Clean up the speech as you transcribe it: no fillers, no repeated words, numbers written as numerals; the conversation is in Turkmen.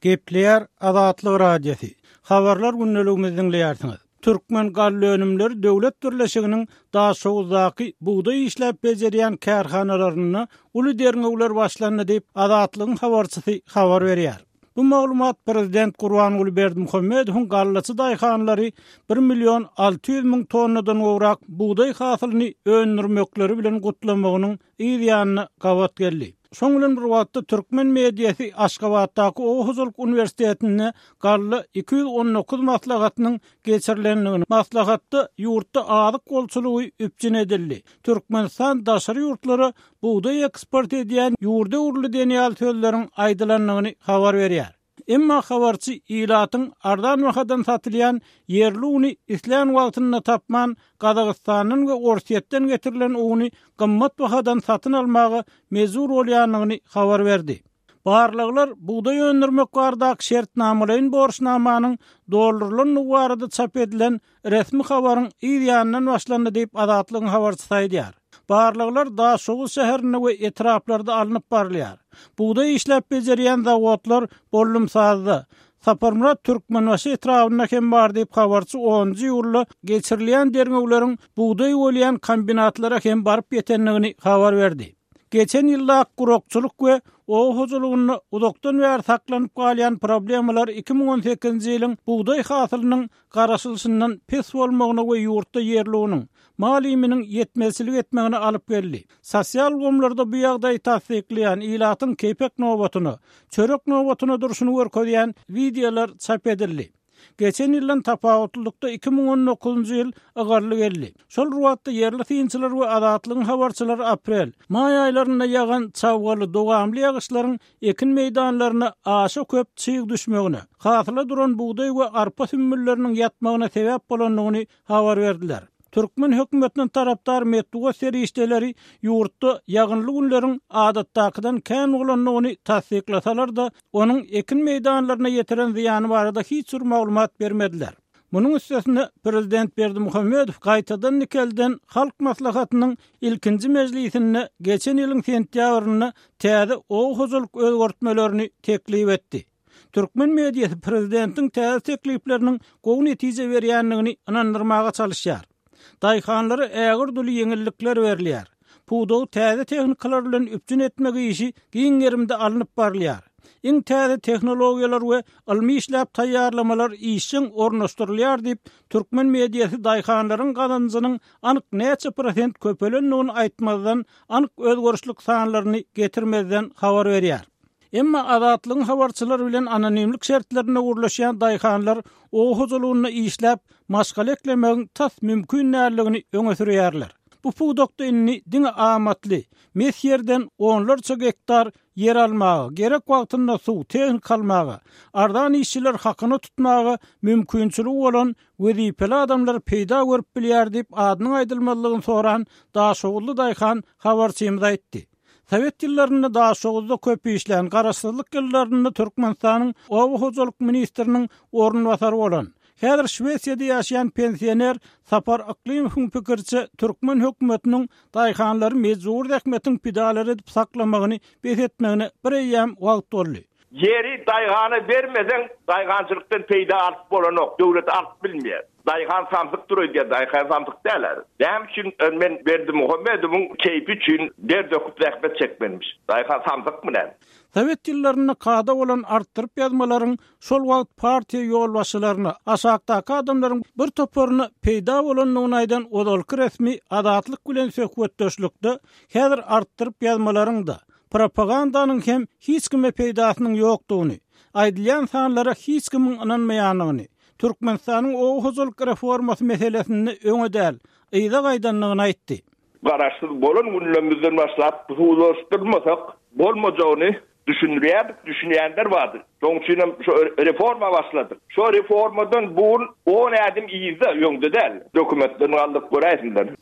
Gepleýär Azatlyk Radiosy. Habarlar gündeligimizi diňleýärsiňiz. Türkmengallaönümleri döwlet birleşiginiň Daşoguzdaky bugdaý işläp bejerýän kärhanalarynda uly derňewler başlandy diýip, Azatlygyň habarçysy habar berýär. Bu maglumat prezident Gurbanguly Berdimuhamedowyň gallaçy daýhanlary bir million 600 müň tonnadan gowrak bugdaý hasylyny öndürmekleri bilen gutlamagynyň yz ýanyna gabat geldi. Şoň bilen bir wagtda türkmen mediasy Aşgabatdaky Oba hojalyk uniwersitetinde galla 219 maslahatynyň geçirilendigini, maslahatda ýurtda azyk bolçulygy üpjün edildi, Türkmenistan daşary ýurtlara bugdaý eksport edýän ýurda öwrüldi diýen ýaly sözleriň aýdylandygyny habar berýär. Emma habarçy ilatyň arzan bahadan satylýan ýerli uny islän wagtynda tapman, Gazagystandan we Orsýetden getirilen uny gymmat bahadan satyn almaga mejbur bolýandygyny habar berdi. Barlaglar bugdaý öndürmek baradaky şertnamalaýyn borçnamanyň doldurylandygy barada çap edilen resmi habaryň yz ýanyndan başlandy diýip, Azatlygyň habarçysy aýdýar. Barlaglar Daşoguz şäherinde we etraplarda alnyp barylýar. Bugdaý işläp bejerýän zawodlar Bollumsazda, Saparmyrat Türkmenbaşy etrabynda hem bar diýip, habarçy onunjy iýulda geçirilýän derňewleriň bugdaý bolýan kombinatlara hem baryp ýetendigini habar berdi. Geçen ýyldaky gurakçylyk we oba hojalygynda uzakdan bäri saklanyp galýan problemalar 2018-nji ýylyň bugdaý hasylynyň garaşylyşyndan pes bolmagyna we ýurtda ýerli unuň, mal iýminiň ýetmezçilik etmegine alyp geldi. Sosial ulgamlarda bu ýagdaýy tassyklaýan, ilatyň kepek nobatyna, çörek nobatyna durşuny görkezýän wideolar çap edildi. Geçen ýyldan tapawutlylykda 2019-njy ýyl ygally geldi. Şol bir wagtda ýerli synçylar we Azatlygyň habarçylary aprel, maý aýlarynda ýagan çabgaly, dowamly ýagyşlaryň ekin meýdanlaryna aşa köp çyg düşmegine, hasyla duran bugdaý we arpa sümmülleriniň ýatmagyna sebäp bolandygyny habar berdiler. Türkmen hökümetine tarapdar metbugat serişdeleri ýurtda ýagynly günleriň adatdakydan kän bolandygyny tassyklasalar-da, onuň ekin meýdanlaryna ýetiren zyýany barada hiç bir maglumat bermediler. Munuň üstesine, prezident Berdimuhamedow gaýtadan dikelden Halk Maslahatynyň ilkinji mejlisinde geçen ýylyň sentýabrynda täze oba hojalyk özgertmelerini teklip etdi. Türkmen mediasy prezidentiň täze teklipleriniň gowy netije berýändigini ynandyrmaga çalyşýar. Daýhanlara ägirt uly ýeňillikler berilýär. Pudagy täze tehnikalar bilen üpjün etmek işi giň gerimde alnyp barylýar. Iň täze tehnologiýalar we ylmy işläp taýýarlamalar işjeň ornaşdyrylýar diýip, türkmen mediasy daýhanlaryň gazanjynyň anyk näçe prosent köpelendigini aýtmazdan, anyk özgerişlik sanlaryny getirmezden habar berýär. Emma Azatlygyň habarçylary bilen anonimlik şertlerinde gürleşýän daýhanlar oba hojalygynda işläp, maşgala eklemegiň tas mümkin däldigini öňe sürýärler. Bu pudakda indi diňe amatly, mes ýerden onlarça gektar ýer almaga, gerek wagtynda suw, tehnika almaga, arzan işçiler hakyna tutmaga mümkinçiligi bolan wezipeli adamlar peýda görüp bilýär diýip, adynyň aýdylmazlygyny soran daşoguzly daýhan habarçymyza aýtdy. Sowet ýyllarynda Daşoguzda köp işlän, garaşsyzlyk ýyllarynda Türkmenistanyň oba hojalyk ministriniň orunbasary bolan, häzir Şwesiýada ýaşaýan pensioner Sapar Yklymowyň pikiriçe, türkmen hökümetiniň daýhanlary mejbury zähmetiň pidalary edip saklamagyny bes etmegine bir eýýäm wagt boldy. Ýeri daýhana bermeseň, daýhançylykdan peýda alyp bolanok, döwlet alyp bilmeýär. Daýhan samsykdyr öýdýär, daýhan samsyk däl. Näme üçin men Berdimuhamedowyň keýpi üçin der döküp zähmet çekmelimiş? Daýhan samsykmy näme? Sowet ýyllarynda kada bolan artdyryp ýazmalaryň şol wagt partiýa ýolbaşçylaryna, aşakdaky adamlaryň bir toparyna peýda bolandygyny aýdan ozalky resmi Azatlyk bilen söhbetdeşlikde häzir artdyryp ýazmalaryň-da, Propagandanyň hem hiç kime peýdasynyň ýokdugyny, aýdylýan sanlara hiç kimiň ynanmaýandygyny, Türkmenistanyň oba hojalyk reformasy meselesinde öňe däl, yza gaýdandygyny aýtdy. Garaşsyz bolan günlerimizden başlap husulaşdyrmasak bolmajagyny düşündirýärdik, düşünýänler bardy. Şonuň üçin hem şo reforma başladyk. Şo reformadan bu gün on ädim yzda, öňde däl. Dokumentlerini aldyk göräýsinler.